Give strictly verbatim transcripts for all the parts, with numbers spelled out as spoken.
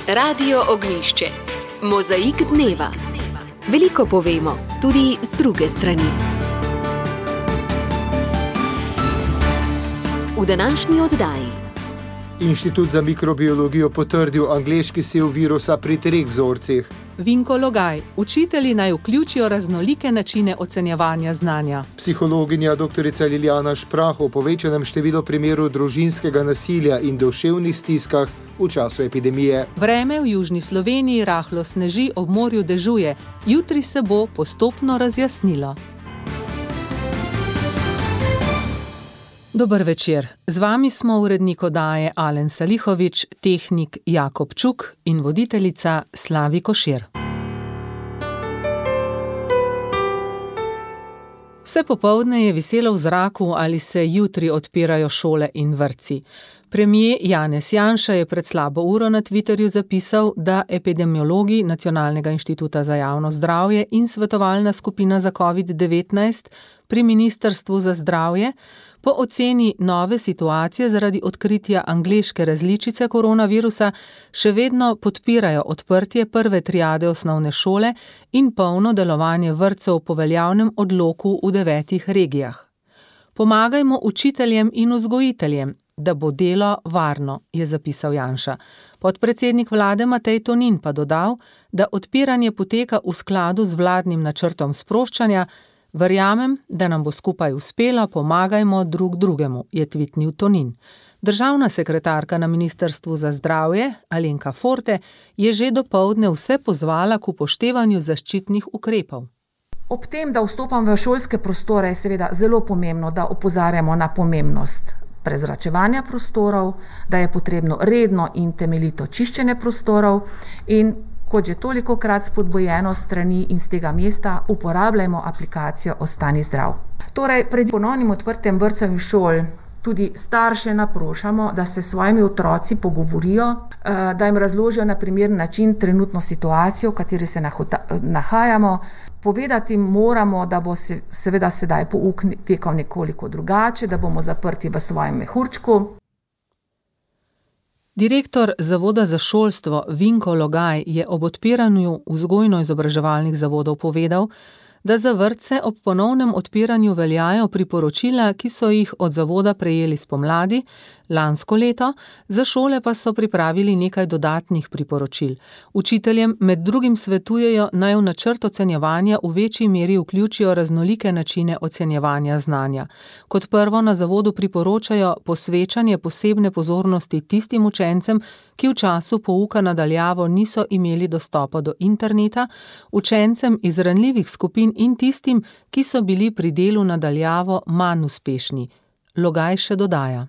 Radio Ognjišče. Mozaik dneva. Veliko povemo, tudi z druge strani. V današnji oddaji. Inštitut za mikrobiologijo potrdil angleški sev virusa pri treh vzorcih. Vinko Logaj, učitelji naj vključijo raznolike načine ocenjevanja znanja. Psihologinja doktorica Lilijana Šprah o povečanem številu primerov družinskega nasilja in duševnih stiskah v času epidemije. Vreme v južni Sloveniji rahlo sneži, ob morju dežuje. Jutri se bo postopno razjasnilo. Dober večer. Z vami smo urednik oddaje Alen Salihovič, tehnik Jakob Čuk in voditeljica Slavi Košir. Vse popoldne je viselo v zraku, ali se jutri odpirajo šole in vrtci. Premier Janez Janša je pred slabo uro na Twitterju zapisal, da epidemiologi Nacionalnega inštituta za javno zdravje in svetovalna skupina za covid devetnajst pri Ministrstvu za zdravje po oceni nove situacije zaradi odkritja angleške različice koronavirusa še vedno podpirajo odprtje prve triade osnovne šole in polno delovanje vrtcev po veljavnem odloku v devetih regijah. Pomagajmo učiteljem in vzgojiteljem, da bo delo varno, je zapisal Janša. Podpredsednik vlade Matej Tonin pa dodal, da odpiranje poteka v skladu z vladnim načrtom sproščanja. Verjamem, da nam bo skupaj uspelo, pomagajmo drug drugemu, je tvitnil Tonin. Državna sekretarka na Ministrstvu za zdravje, Alenka Forte, je že dopoldne vse pozvala k upoštevanju zaščitnih ukrepov. Ob tem, da vstopam v šolske prostore, je seveda zelo pomembno, da opozarjamo na pomembnost prezračevanja prostorov, da je potrebno redno in temeljito čiščenje prostorov in kot že tolikokrat spodbujeno strani in z tega mesta, uporabljajmo aplikacijo Ostani zdrav. Torej, pred ponovnim odprtjem vrtcev in šol tudi starše naprošamo, da se s svojimi otroci pogovorijo, da jim razložijo na primeren način trenutno situacijo, v kateri se nahajamo. Povedati moramo, da bo se, seveda sedaj pouk tekal nekoliko drugače, da bomo zaprti v svojem mehurčku. Direktor Zavoda za šolstvo Vinko Logaj je ob odpiranju vzgojno-izobraževalnih zavodov povedal, da za vrtce ob ponovnem odpiranju veljajo priporočila, ki so jih od zavoda prejeli spomladi, lansko leto, za šole pa so pripravili nekaj dodatnih priporočil. Učiteljem med drugim svetujejo, naj v načrt ocenjevanja v večji meri vključijo raznolike načine ocenjevanja znanja. Kot prvo na zavodu priporočajo posvečanje posebne pozornosti tistim učencem, ki v času pouka na daljavo niso imeli dostopa do interneta, učencem iz ranljivih skupin in tistim, ki so bili pri delu na daljavo manj uspešni. Logaj še dodaja.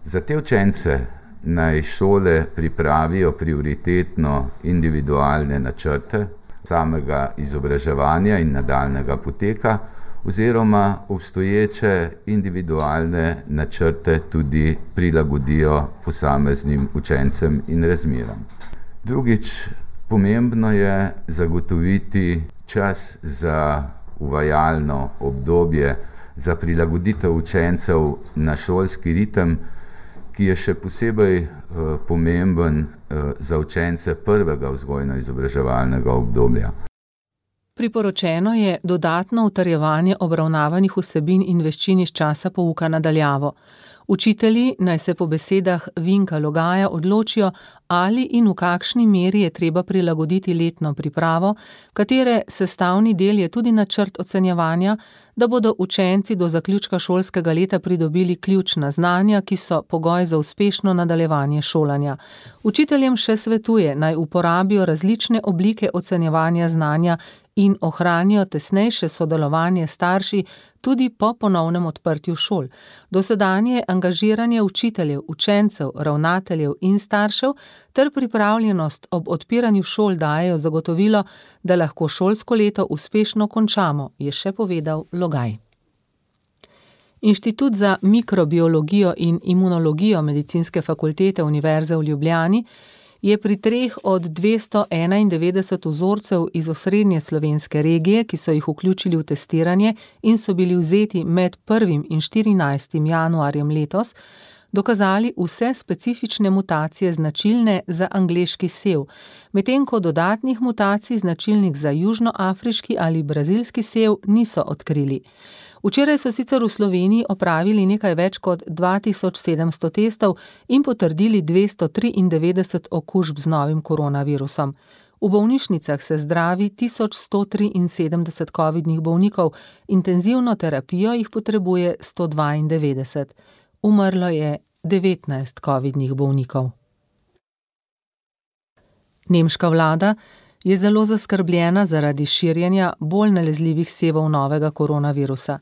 Za te učence naj šole pripravijo prioritetno individualne načrte samega izobraževanja in nadaljnega poteka oziroma obstoječe individualne načrte tudi prilagodijo posameznim učencem in razmeram. Drugič, pomembno je zagotoviti čas za uvajalno obdobje za prilagoditev učencev na šolski ritem, ki je še posebej uh, pomemben uh, za učence prvega vzgojno-izobraževalnega obdobja. Priporočeno je dodatno utrjevanje obravnavanih vsebin in veščin iz časa pouka na daljavo. Učitelji naj se po besedah Vinka Logaja odločijo, ali in v kakšni meri je treba prilagoditi letno pripravo, katere sestavni del je tudi načrt ocenjevanja, da bodo učenci do zaključka šolskega leta pridobili ključna znanja, ki so pogoj za uspešno nadaljevanje šolanja. Učiteljem še svetuje, naj uporabijo različne oblike ocenjevanja znanja in ohranijo tesnejše sodelovanje starši tudi po ponovnem odprtju šol. Dosedanje angažiranje učiteljev, učencev, ravnateljev in staršev ter pripravljenost ob odpiranju šol dajejo zagotovilo, da lahko šolsko leto uspešno končamo, je še povedal Logaj. Inštitut za mikrobiologijo in imunologijo Medicinske fakultete Univerze v Ljubljani je pri treh od dvesto enaindevetdeset vzorcev iz osrednje slovenske regije, ki so jih vključili v testiranje in so bili vzeti med prvim in štirinajstim januarjem letos, dokazali vse specifične mutacije značilne za angleški sev, medtem ko dodatnih mutacij značilnih za južnoafriški ali brazilski sev niso odkrili. Včeraj so sicer v Sloveniji opravili nekaj več kot dva tisoč sedemsto testov in potrdili dvesto triindevetdeset okužb z novim koronavirusom. V bolnišnicah se zdravi tisoč sto triinsedemdeset covidnih bolnikov, intenzivno terapijo jih potrebuje sto dvaindevetdeset. Umrlo je devetnajst covidnih bolnikov. Nemška vlada je zelo zaskrbljena zaradi širjenja bolj nalezljivih sevov novega koronavirusa.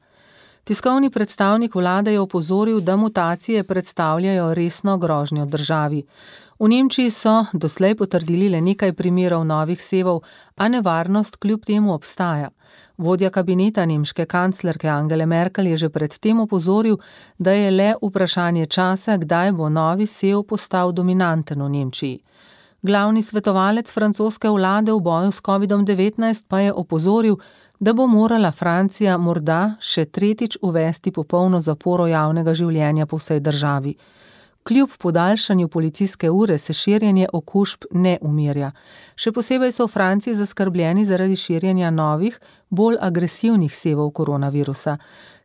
Tiskovni predstavnik vlade je opozoril, da mutacije predstavljajo resno grožnjo državi. V Nemčiji so doslej potrdili le nekaj primerov novih sevov, a nevarnost kljub temu obstaja. Vodja kabineta nemške kanclerke Angele Merkel je že pred tem opozoril, da je le vprašanje časa, kdaj bo novi sev postal dominanten v Nemčiji. Glavni svetovalec francoske vlade v boju s kovidom devetnajst pa je opozoril, da bo morala Francija morda še tretjič uvesti popolno zaporo javnega življenja po vsej državi. Kljub podaljšanju policijske ure se širjenje okužb ne umirja. Še posebej so v Franciji zaskrbljeni zaradi širjenja novih, bolj agresivnih sevov koronavirusa.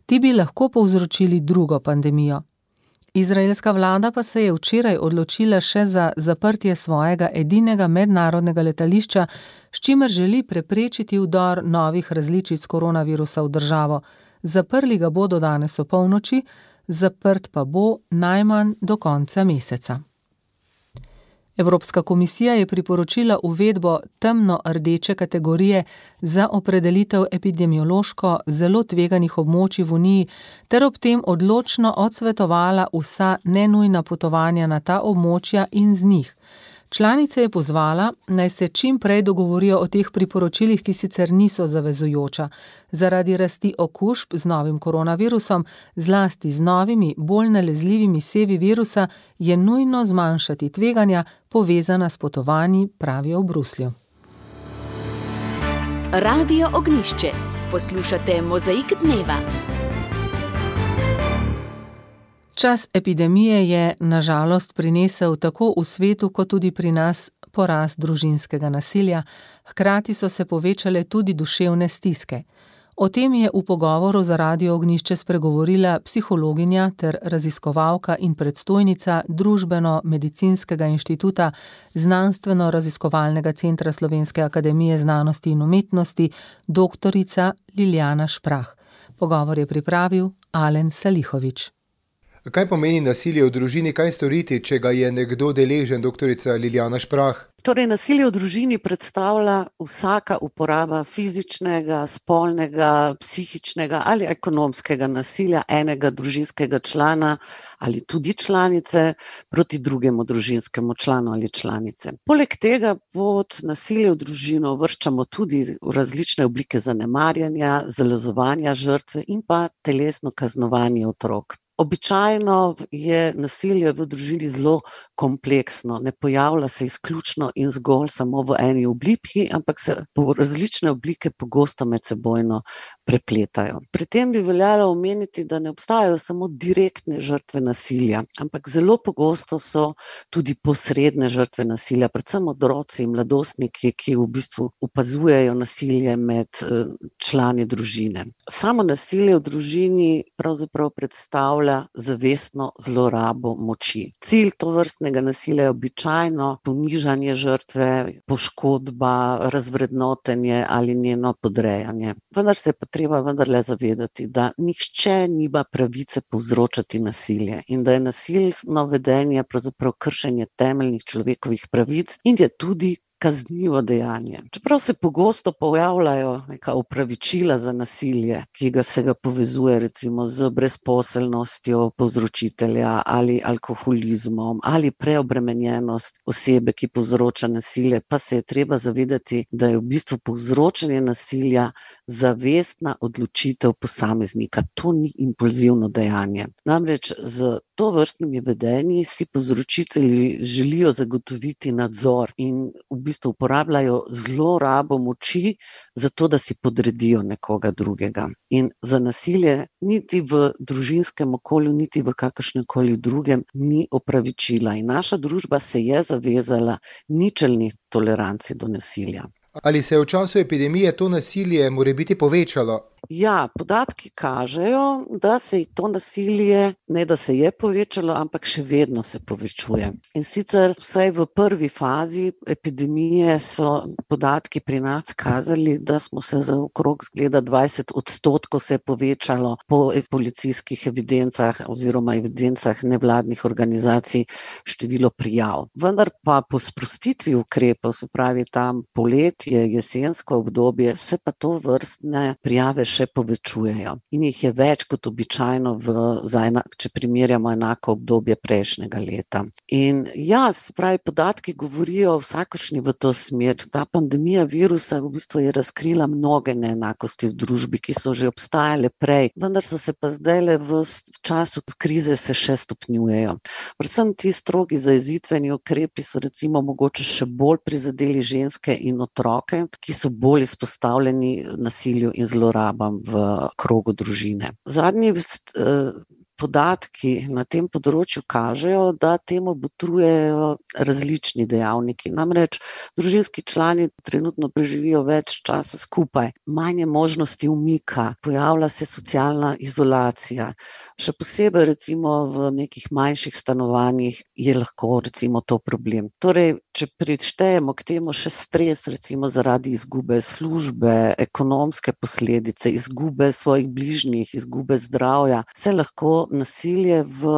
Ti bi lahko povzročili drugo pandemijo. Izraelska vlada pa se je včeraj odločila še za zaprtje svojega edinega mednarodnega letališča, s čimer želi preprečiti vdor novih različic koronavirusa v državo. Zaprli ga bodo danes o polnoči, zaprt pa bo najmanj do konca meseca. Evropska komisija je priporočila uvedbo temno-rdeče kategorije za opredelitev epidemiološko zelo tveganih območij v Uniji ter ob tem odločno odsvetovala vsa nenujna potovanja na ta območja in z njih. Članice je pozvala, naj se čim prej dogovorijo o teh priporočilih, ki sicer niso zavezujoča. Zaradi rasti okužb z novim koronavirusom, zlasti z novimi, bolj nalezljivimi sevi virusa, je nujno zmanjšati tveganja, povezana s potovanji, pravijo v Bruslju. Radio Ognjišče. Poslušate Mozaik dneva. Čas epidemije je na žalost prinesel tako v svetu kot tudi pri nas porast družinskega nasilja, hkrati so se povečale tudi duševne stiske. O tem je v pogovoru za Radio Ognjišče spregovorila psihologinja ter raziskovalka in predstojnica Družbeno-medicinskega inštituta Znanstveno-raziskovalnega centra Slovenske akademije znanosti in umetnosti, doktorica Lilijana Šprah. Pogovor je pripravil Alen Salihovič. Kaj pomeni nasilje v družini, kaj storiti, če ga je nekdo deležen, doktorica Lilijana Šprah? Torej, nasilje v družini predstavlja vsaka uporaba fizičnega, spolnega, psihičnega ali ekonomskega nasilja enega družinskega člana ali tudi članice proti drugemu družinskemu članu ali članice. Poleg tega pod nasilje v družino uvrščamo tudi različne oblike zanemarjanja, zalezovanja žrtve in pa telesno kaznovanje otrok. Običajno je nasilje v družini zelo kompleksno, ne pojavlja se izključno in zgolj samo v eni obliki, ampak se različne oblike pogosto medsebojno prepletajo. Pri tem bi veljalo omeniti, da ne obstajajo samo direktne žrtve nasilja, ampak zelo pogosto so tudi posredne žrtve nasilja, predvsem otroci in mladostniki, ki v bistvu opazujejo nasilje med člani družine. Samo nasilje v družini pravzaprav predstavlja zavestno zlorabo moči. Cilj tovrstnega nasilja je običajno ponižanje žrtve, poškodba, razvrednotenje ali njeno podrejanje. Vendar se je pa treba vendarle zavedati, da nihče nima pravice povzročati nasilje in da je nasilno vedenje pravzaprav kršenje temeljnih človekovih pravic in je tudi kaznivo dejanje. Čeprav se pogosto pojavljajo neka opravičila za nasilje, ki ga se ga povezuje recimo z brezposelnostjo povzročitelja ali alkoholizmom ali preobremenjenost osebe, ki povzroča nasilje, pa se je treba zavedati, da je v bistvu povzročanje nasilja zavestna odločitev posameznika. To ni impulzivno dejanje. Namreč z tovrstnimi vedenji si povzročitelji želijo zagotoviti nadzor in v bistvu bistvu uporabljajo zlorabo moči za to, da si podredijo nekoga drugega. In za nasilje niti v družinskem okolju, niti v kakršnemkoli drugem ni opravičila. In naša družba se je zavezala ničelni toleranci do nasilja. Ali se je v času epidemije to nasilje morebiti povečalo? Ja, podatki kažejo, da se je to nasilje, ne da se je povečalo, ampak še vedno se povečuje. In sicer vsaj v prvi fazi epidemije so podatki pri nas kazali, da smo se za okrog zgleda dvajset odstotkov se povečalo po policijskih evidencah oziroma evidencah nevladnih organizacij število prijav. Vendar pa po sprostitvi ukrepov, se pravi tam poletje, jesensko obdobje, se pa to vrstne prijave še povečujejo. In jih je več kot običajno, v, za enak, če primerjamo enako obdobje prejšnjega leta. In ja, se pravi, podatki govorijo vsakošnji v to smer. Ta pandemija virusa v bistvu je razkrila mnoge neenakosti v družbi, ki so že obstajale prej, vendar so se pa zdajle v času krize se še stopnjujejo. Predvsem ti strogi zajezitveni ukrepi so recimo mogoče še bolj prizadeli ženske in otroke, ki so bolj izpostavljeni nasilju in zlorabam v krogu družine. Zadnji podatki na tem področju kažejo, da temu botrujejo različni dejavniki. Namreč družinski člani trenutno preživijo več časa skupaj, manj je možnosti umika, pojavlja se socialna izolacija. Še posebej recimo v nekih manjših stanovanjih je lahko recimo to problem. Torej, če prištejemo k temu še stres, recimo zaradi izgube službe, ekonomske posledice, izgube svojih bližnjih, izgube zdravja, se lahko nasilje v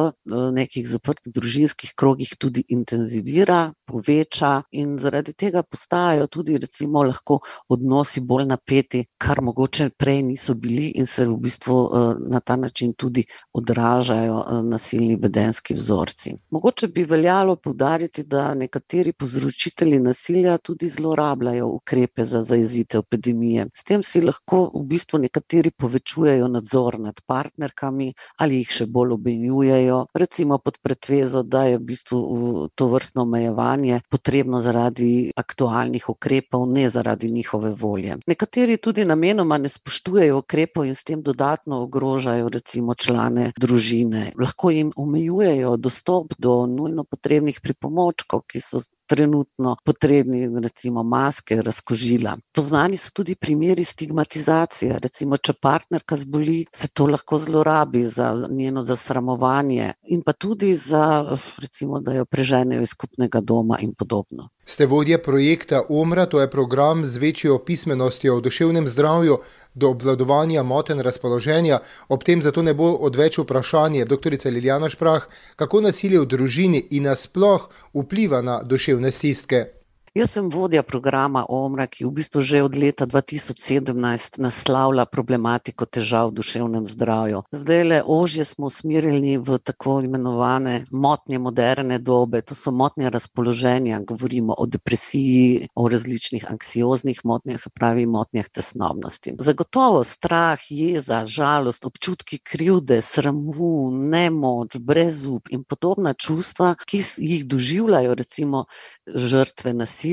nekih zaprtih družinskih krogih tudi intenzivira, poveča in zaradi tega postajajo tudi recimo lahko odnosi bolj napeti, kar mogoče prej niso bili in se v bistvu na ta način tudi odražajo nasilni vedenjski vzorci. Mogoče bi veljalo poudariti, da nekateri povzročitelji nasilja tudi zlorabljajo ukrepe za zajezitev epidemije. S tem si lahko v bistvu nekateri povečujejo nadzor nad partnerkami ali jih še bolj obmenjujejo, recimo pod pretvezo, da je v bistvu tovrstno omejevanje potrebno zaradi aktualnih ukrepov, ne zaradi njihove volje. Nekateri tudi namenoma ne spoštujejo ukrepov in s tem dodatno ogrožajo recimo člane družine. Lahko jim omejujejo dostop do nujno potrebnih pripomočkov, ki so trenutno potrebni, recimo maske, razkožila. Poznani so tudi primeri stigmatizacije. Recimo, če partnerka zboli, se to lahko zlorabi za njeno zasramovanje in pa tudi za, recimo, da jo preženejo iz skupnega doma in podobno. Ste vodja projekta Omra, to je program z večjo pismenostjo o duševnem zdravju do obvladovanja motenj razpoloženja. Ob tem zato ne bo odveč vprašanje, doktorica Lilijana Šprah, kako nasilje v družini in nasploh vpliva na duševne stiske. Jaz sem vodja programa Omra, ki v bistvu že od leta dva tisoč sedemnajst naslavlja problematiko težav v duševnem zdravju. Zdajle ožje smo usmerjeni v tako imenovane motnje moderne dobe, to so motnje razpoloženja, govorimo o depresiji, o različnih anksioznih motnjah, se pravi motnjah tesnobnosti. Zagotovo strah, jeza, žalost, občutki krivde, sramu, nemoč, brezup in podobna čustva, ki jih doživljajo recimo žrtve nasilja,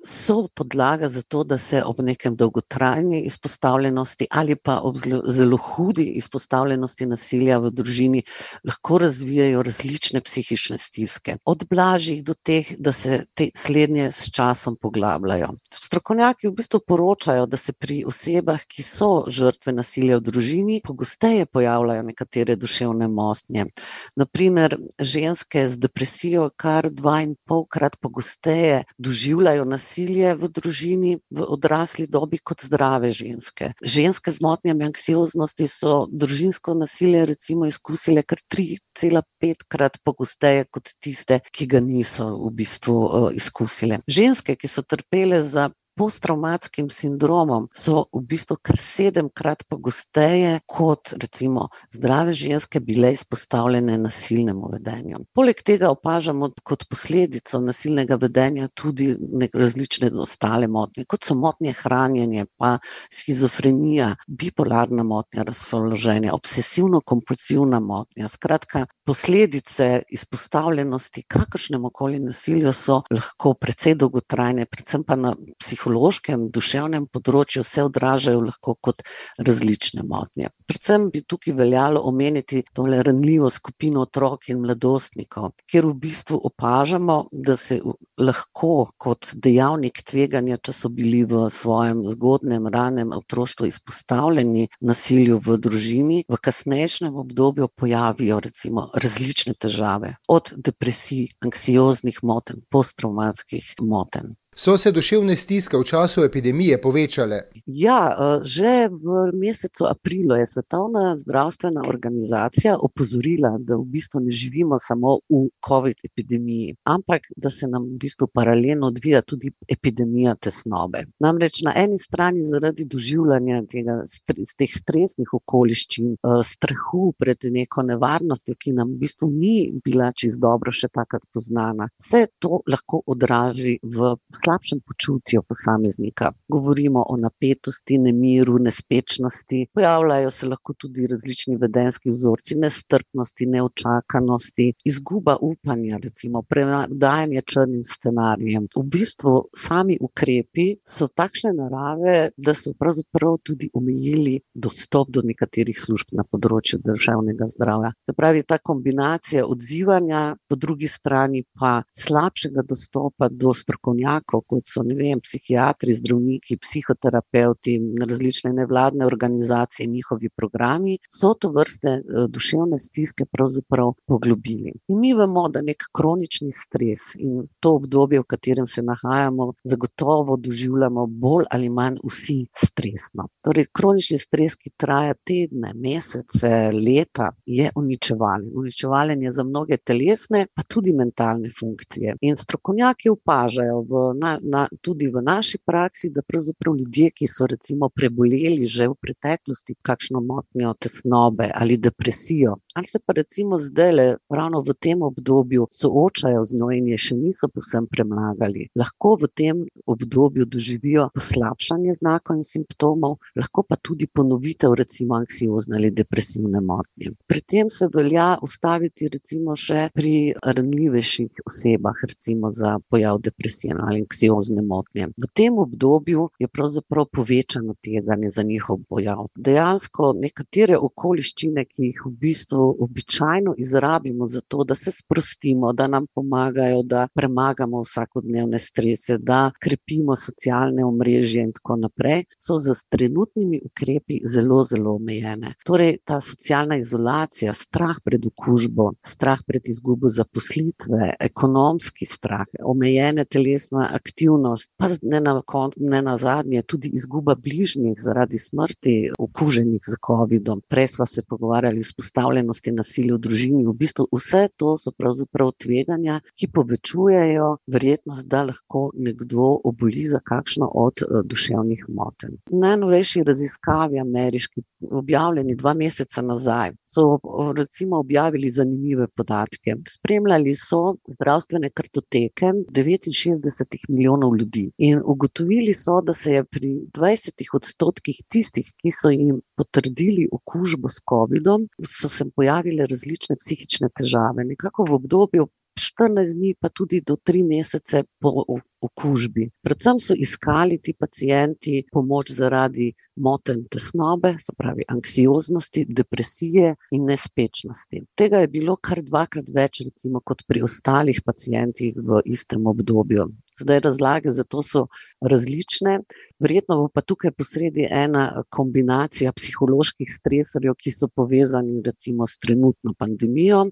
so podlaga za to, da se ob nekem dolgotrajni izpostavljenosti ali pa ob zelo, zelo hudi izpostavljenosti nasilja v družini lahko razvijajo različne psihične stiske. Od blažjih do teh, da se te slednje s časom poglabljajo. Strokovnjaki v bistvu poročajo, da se pri osebah, ki so žrtve nasilja v družini, pogosteje pojavljajo nekatere duševne motnje. Na primer, ženske z depresijo kar dva in polkrat pogosteje doživljajo nasilje v družini v odrasli dobi kot zdrave ženske. Ženske z motnjami anksioznosti so družinsko nasilje recimo izkusile kar tri cela pet krat pogosteje kot tiste, ki ga niso v bistvu uh, izkusile. Ženske, ki so trpele za posttravmatskim sindromom so v bistvu kar sedemkrat pogosteje kot recimo zdrave ženske bile izpostavljene nasilnemu vedenju. Poleg tega opažamo kot posledico nasilnega vedenja tudi različne ostale motnje, kot so motnje hranjenja, pa shizofrenija, bipolarna motnja razpoloženja, obsesivno-kompulsivna motnja. Skratka, posledice izpostavljenosti kakršnemu koli nasilju so lahko precej dolgotrajne, predvsem pa na psihološkem, duševnem področju se odražajo lahko kot različne motnje. Predvsem bi tukaj veljalo omeniti tole ranljivo skupino otrok in mladostnikov, kjer v bistvu opažamo, da se lahko kot dejavnik tveganja, če so bili v svojem zgodnem, ranem otroštvu izpostavljeni nasilju v družini, v kasnejšem obdobju pojavijo recimo različne težave, od depresij, anksioznih motenj, posttravmatskih motenj. So se duševne stiske v času epidemije povečale? Ja, že v mesecu aprilu je Svetovna zdravstvena organizacija opozorila, da v bistvu ne živimo samo v COVID epidemiji, ampak da se nam v bistvu paralelno odvija tudi epidemija tesnobe. Namreč na eni strani zaradi doživljanja tega, teh stresnih okoliščin, strahu pred neko nevarnostjo, ki nam v bistvu ni bila čisto dobro še takrat poznana, se to lahko odraži v slabšem počutju posameznika. Govorimo o napetosti, nemiru, nespečnosti. Pojavljajo se lahko tudi različni vedenjski vzorci, nestrpnosti, neočakanosti, izguba upanja, recimo predajanje črnim scenarijem. V bistvu sami ukrepi so takšne narave, da so pravzaprav tudi omejili dostop do nekaterih služb na področju duševnega zdravja. Se pravi, ta kombinacija odzivanja, po drugi strani pa slabšega dostopa do strokovnjakov, kot so, ne vem, psihiatri, zdravniki, psihoterapeuti, različne nevladne organizacije, njihovi programi, so to vrste duševne stiske pravzaprav poglobili. In mi vemo, da nek kronični stres in to obdobje, v katerem se nahajamo, zagotovo doživljamo bolj ali manj vsi stresno. Torej, kronični stres, ki traja tedne, mesece, leta, je uničevalen. Uničevalen je za mnoge telesne, pa tudi mentalne funkcije. In strokovnjaki opažajo v Na, na, tudi v naši praksi, da pravzaprav ljudje, ki so recimo preboleli že v preteklosti kakšno motnjo tesnobe ali depresijo, ali se pa recimo zdajle ravno v tem obdobju soočajo z njo in je še niso povsem premagali, lahko v tem obdobju doživijo poslabšanje znakov in simptomov, lahko pa tudi ponovitev recimo anksiozne ali depresivne motnje. Pri tem se velja ustaviti recimo še pri ranljivejših osebah, recimo za pojav depresije ali anksiozne motnje. V tem obdobju je pravzaprav povečano tveganje za njihov pojav. Dejansko nekatere okoliščine, ki jih v bistvu običajno izrabimo za to, da se sprostimo, da nam pomagajo, da premagamo vsakodnevne strese, da krepimo socialne omrežje in tako naprej, so z trenutnimi ukrepi zelo, zelo omejene. Torej, ta socialna izolacija, strah pred okužbo, strah pred izgubo zaposlitve, ekonomski strah, omejene telesna aktivnost, pa ne na koncu, ne na zadnje, tudi izguba bližnjih zaradi smrti okuženih z covidom. Prej sva se pogovarjali o izpostavljenosti nasilju v družini. V bistvu vse to so pravzaprav tveganja, ki povečujejo verjetnost, da lahko nekdo oboli za kakšno od duševnih motenj. Najnovejši raziskavi ameriški, objavljeni dva meseca nazaj, so recimo objavili zanimive podatke. Spremljali so zdravstvene kartoteke devetinšestdeset milijonov ljudi in ugotovili so, da se je pri dvajsetih odstotkih tistih, ki so jim potrdili okužbo s covidom, so se pojavile različne psihične težave. Nekako v obdobju štirinajst dni pa tudi do tri mesece po okužbi. Predvsem so iskali ti pacienti pomoč zaradi motenj tesnobe, se pravi anksioznosti, depresije in nespečnosti. Tega je bilo kar dvakrat več recimo kot pri ostalih pacientih v istem obdobju. Zdaj razlage za to so različne, verjetno bo pa tukaj posredi ena kombinacija psiholoških stresorjev, ki so povezani recimo s trenutno pandemijo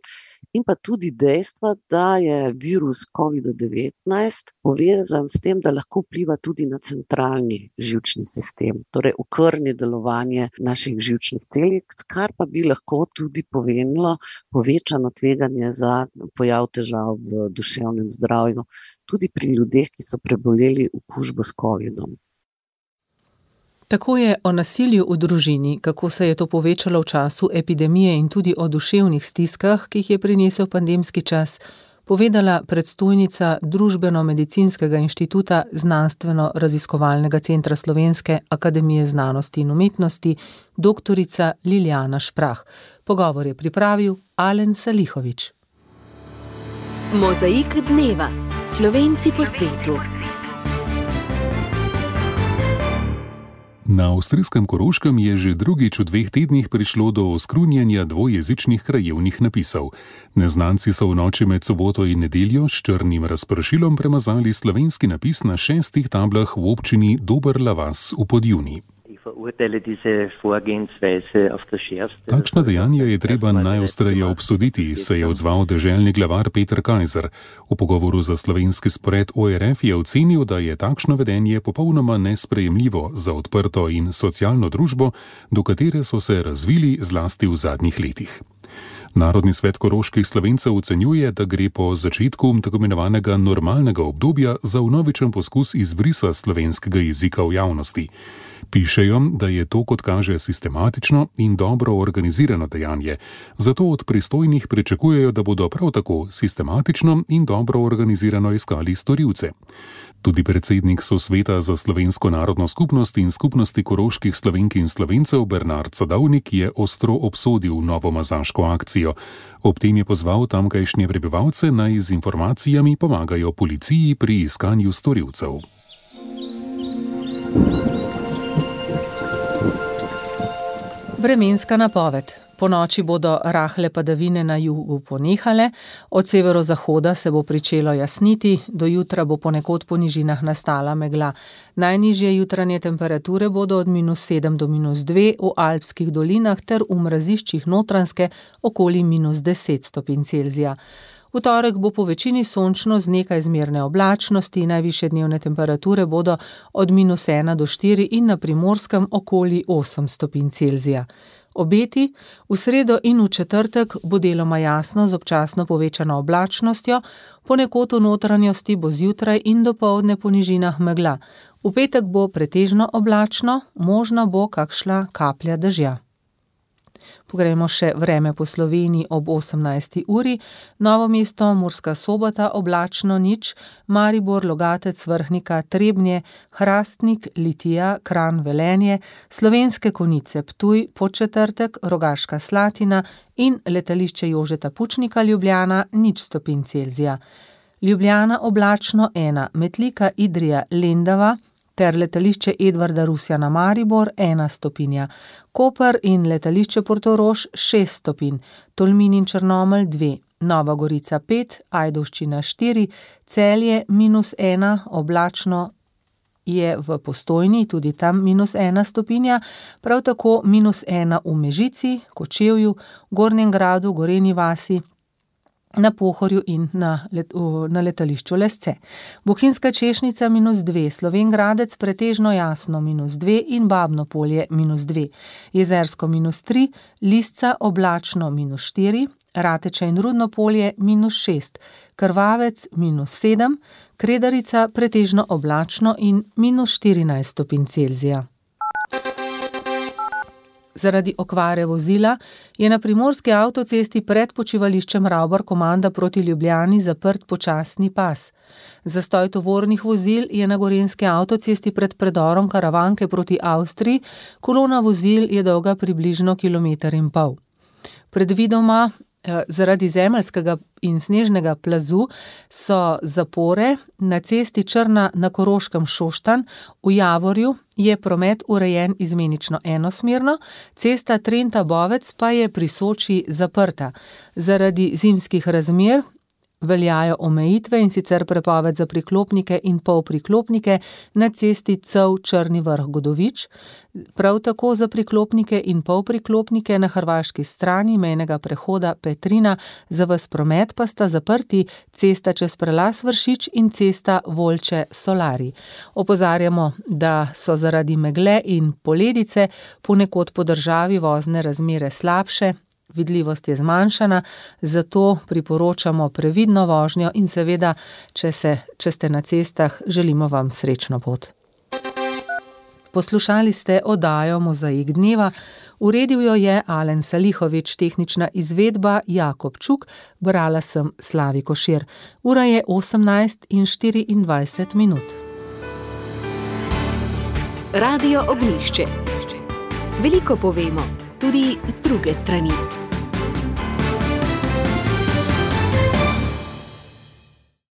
in pa tudi dejstva, da je virus covid devetnajst povezan povezan s tem, da lahko vpliva tudi na centralni živčni sistem, torej okrni delovanje naših živčnih celic, kar pa bi lahko tudi pomenilo povečano tveganje za pojav težav v duševnem zdravju, tudi pri ljudeh, ki so preboleli okužbo s covidom. Tako je o nasilju v družini, kako se je to povečalo v času epidemije in tudi o duševnih stiskah, ki jih je prinesel pandemski čas, povedala predstojnica Družbeno-medicinskega inštituta Znanstveno-raziskovalnega centra Slovenske akademije znanosti in umetnosti, doktorica Liljana Šprah. Pogovor je pripravil Alen Salihovič. Mozaik dneva. Slovenci po svetu. Na avstrijskem Koroškem je že drugič v dveh tednih prišlo do oskrunjenja dvojezičnih krajevnih napisov. Neznanci so v noči med soboto in nedeljo s črnim razpršilom premazali slovenski napis na šestih tablah v občini Doberla Vas v Podjuni. Takšna dejanja je treba najostreje obsoditi, se je odzval deželni glavar Peter Kajzer. V pogovoru za slovenski spored O R F je ocenil, da je takšno vedenje popolnoma nesprejemljivo za odprto in socialno družbo, do katere so se razvili zlasti v zadnjih letih. Narodni svet koroških Slovencev ocenjuje, da gre po začetku tako imenovanega normalnega obdobja za vnovičen poskus izbrisa slovenskega jezika v javnosti. Pišejo, da je to, kot kaže, sistematično in dobro organizirano dejanje, zato od pristojnih pričakujejo, da bodo prav tako sistematično in dobro organizirano iskali storilce. Tudi predsednik Sosveta za slovensko narodno skupnost in skupnosti koroških Slovenk in Slovencev Bernard Sadovnik je ostro obsodil novo mazaško akcijo. Ob tem je pozval tamkajšnje prebivalce, naj z informacijami pomagajo policiji pri iskanju storilcev. Vremenska napoved. Po noči bodo rahle padavine na jugu ponehale, od severozahoda se bo pričelo jasniti, do jutra bo ponekod po nižinah nastala megla. Najnižje jutranje temperature bodo od minus sedem do minus dve v alpskih dolinah ter v mraziščih Notranjske okoli minus deset stopinj Celzija. V torek bo po večini sončno z nekaj zmerne oblačnosti, najvišje dnevne temperature bodo od minus ena do štiri in na Primorskem okoli osem stopinj Celzija. Obeti, v sredo in v četrtek bo deloma jasno z občasno povečano oblačnostjo, ponekod v notranjosti bo zjutraj in dopoldne po nižinah megla. V petek bo pretežno oblačno, možna bo kakšna kaplja dežja. Pogrejmo še vreme po Sloveniji ob osemnajsti uri, Novo mesto, Murska Sobota, oblačno nič, Maribor, Logatec, Vrhnika, Trebnje, Hrastnik, Litija, Kranj, Velenje, Slovenske Konjice, Ptuj, Podčetrtek, Rogaška Slatina in letališče Jožeta Pučnika Ljubljana, nič stopinj Celzija. Ljubljana oblačno ena, Metlika, Idrija, Lendava ter letališče Edvarda Rusjana Maribor ena stopinja, Koper in letališče Portorož šest stopinj, Tolmin in Črnomelj dve, Nova Gorica pet, Ajdovščina štiri, Celje minus ena, oblačno je v Postojni, tudi tam minus ena stopinja, prav tako minus ena v Mežici, Kočevju, Gornjem Gradu, Gorenji vasi, na Pohorju in na, let, na letališču Lesce. Bohinjska Češnica minus dve, Slovenj Gradec pretežno jasno minus dve in Babno Polje minus dve, Jezersko minus tri, Lisca oblačno minus štiri, Rateče in Rudno Polje minus šest, Krvavec minus sedem, Kredarica pretežno oblačno in minus štirinajst stopinj Celzija. Zaradi okvare vozila je na primorski avtocesti pred počivališčem Ravbar Komanda proti Ljubljani zaprt počasni pas. Zastoj tovornih vozil je na gorenjski avtocesti pred predorom Karavanke proti Avstriji, kolona vozil je dolga približno kilometer in pol. Predvidoma zaradi zemeljskega in snežnega plazu so zapore na cesti Črna na Koroškem Šoštanj, v Javorju je promet urejen izmenično enosmerno, cesta Trenta Bovec pa je pri Soči zaprta. Zaradi zimskih razmer veljajo omejitve, in sicer prepoved za priklopnike in polpriklopnike na cesti Cev-Črni Vrh-Godovič, prav tako za priklopnike in polpriklopnike na hrvaški strani mejnega prehoda Petrina, za ves promet pa sta zaprti cesta čez prelaz Vršič in cesta Volče-Solari. Opozarjamo, da so zaradi megle in poledice ponekod po državi vozne razmere slabše, vidljivost je zmanjšana, zato priporočamo previdno vožnjo in seveda, če, se, če ste na cestah, želimo vam srečno pot. Poslušali ste oddajo Mozaik dneva, uredil jo je Alen Salihovič, tehnična izvedba Jakob Čuk, brala sem Slavi Košir. Ura je osemnajst in štiriindvajset minut. Radio Ognjišče. Veliko povemo, tudi z druge strani.